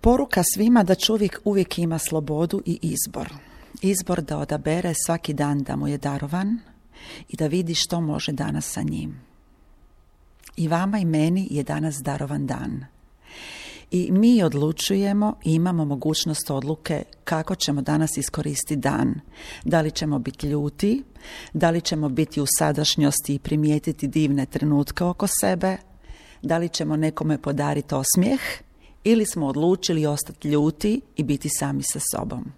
Poruka svima da čovjek uvijek ima slobodu i izbor. Izbor da odabere svaki dan da mu je darovan i da vidi što može danas sa njim. I vama i meni je danas darovan dan. I mi odlučujemo i imamo mogućnost odluke kako ćemo danas iskoristiti dan. Da li ćemo biti ljuti, da li ćemo biti u sadašnjosti i primijetiti divne trenutke oko sebe, da li ćemo nekome podariti osmijeh ili smo odlučili ostati ljuti i biti sami sa sobom.